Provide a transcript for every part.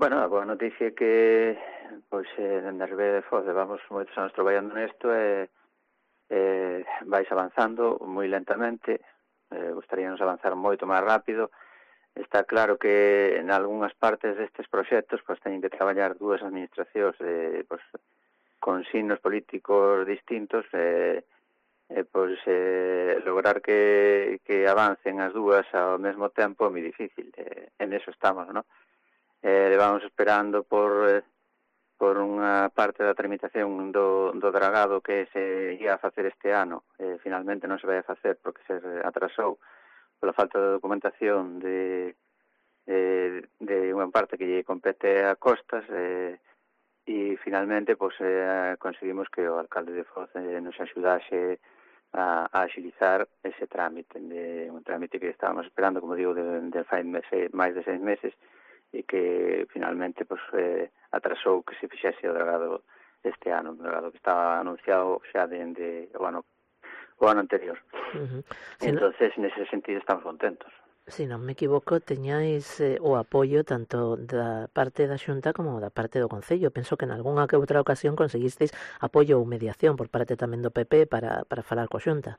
Bueno, a boa noticia é que pois na Ribeira de Foz levamos moitos anos traballando nesto vais avanzando moi lentamente, gustaríanos avanzar moito máis rápido. Está claro que en algunhas partes destes proxectos pois teñen que traballar dúas administracións pois, con signos políticos distintos lograr que avancen as dúas ao mesmo tempo é moi difícil. En eso estamos, ¿no? Levamos esperando por unha parte da tramitación do dragado que se ia a facer este ano. Finalmente non se vai a facer porque se atrasou pola falta de documentación de unha parte que lle compete a Costas e finalmente conseguimos que o alcalde de Foz nos axudase a axilizar ese trámite, un trámite que estábamos esperando, como digo, de fai máis de 6 meses e que finalmente atrasou que se fixese o dragado este ano, un dragado que estaba anunciado xa dende o ano anterior. Entonces, nese sentido, estamos contentos. Se non me equivoco, teñáis o apoio tanto da parte da Xunta como da parte do Concello. Penso que en algunha que outra ocasión conseguisteis apoio ou mediación por parte tamén do PP para falar coa Xunta.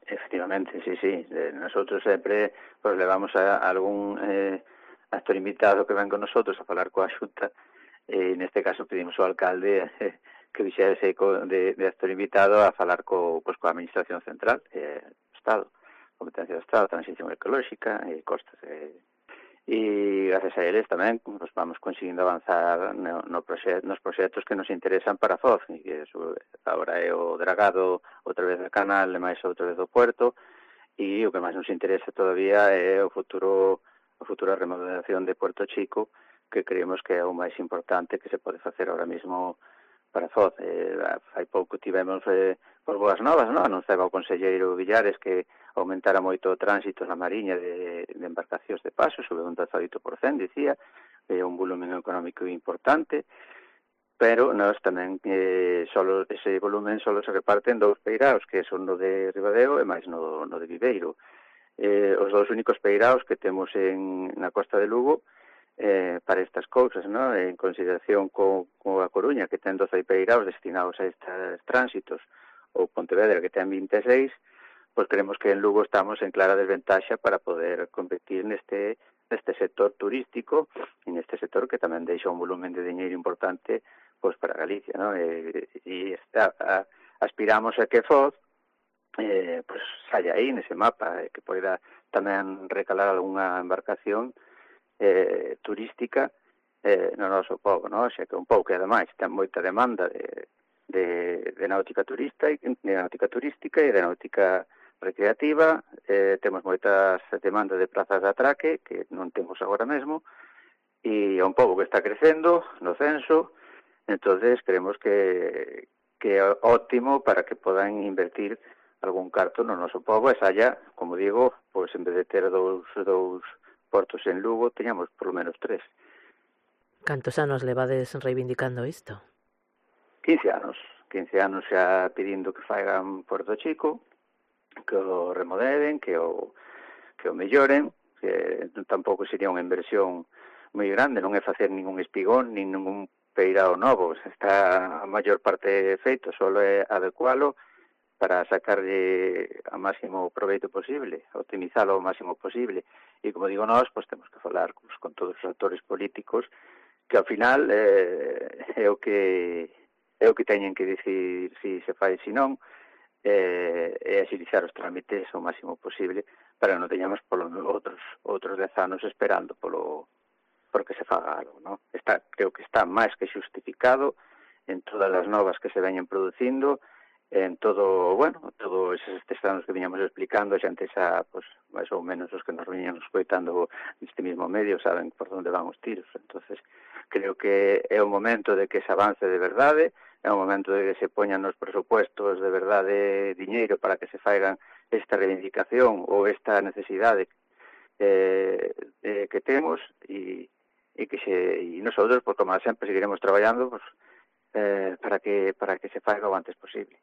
Efectivamente, sí. Nosotros sempre levamos a algún actor invitado que ven con nosotros a falar coa Xunta e neste caso pedimos ao alcalde que vixese de actor invitado a falar coa administración central, Estado, competencia do Estado, transición ecolóxica e Costas. E gracias a eles tamén vamos conseguindo avanzar nos proxectos que nos interesan para Foz, e que agora é o dragado outra vez do canal e máis outra vez do puerto, e o que máis nos interesa todavía é a futura remodelación de Puerto Chico, que creemos que é o máis importante que se pode facer ahora mismo para Foz. Hai pouco tivemos por boas novas, non? Anunciaba o conselleiro Villares que aumentara moito o tránsito na Mariña de embarcacións de paso, sobre un 18%, dicía, é un volumen económico importante, pero nós tamén ese volumen solo se reparte en dous peiraos, que son no de Ribadeo e máis no de Viveiro. Os dous únicos peiraos que temos na costa de Lugo para estas cousas, ¿no? En consideración con a Coruña, que ten 12 peiraos destinados a estes tránsitos, ou Pontevedra, que ten 26, pois creemos que en Lugo estamos en clara desventaxa para poder competir neste sector turístico e neste sector que tamén deixa un volumen de diñeiro importante pois para Galicia, ¿no? Aspiramos a que Foz saia aí nese mapa, que poida tamén recalar algunha embarcación turística no noso pobo, ¿no? Xa que un pouco que ademais ten moita demanda de náutica turística e de náutica recreativa, temos moitas demandas de prazas de atraque que non temos agora mesmo, e é un pobo que está crecendo no censo. Entonces creemos que é óptimo para que podan invertir algún carto no noso pobo e saia, como digo, pois en vez de ter dous portos en Lugo, teñamos polo menos 3. Cantos anos levades reivindicando isto? 15 anos xa pedindo que faigan Puerto Chico, que o remodelen, que o melloren, que tampouco sería unha inversión moi grande, non é facer ningún espigón, nin ningún peirao novo, está a maior parte feito, só é adecualo para sacarlle a máximo proveito posible, optimizalo o máximo posible. E como digo nós, pois temos que falar con todos os actores políticos que ao final é o que teñen que dicir si se fai, si non, e axilizar os trámites o máximo posible para non teñamos outros 10 anos esperando porque se faga algo, ¿no? Creo que está máis que xustificado en todas as novas que se veñen producindo, en todos estes anos que viñamos explicando, xa antes pues, máis ou menos os que nos viñamos escoitando neste mismo medio saben por onde van os tiros. Entonces creo que é o momento de que se avance de verdade, é o momento de que se poñan nos presupuestos de verdade diñeiro para que se faigan esta reivindicación ou esta necesidade que temos e nosotros, pues, como sempre, seguiremos traballando pues, para que se faiga o antes posible.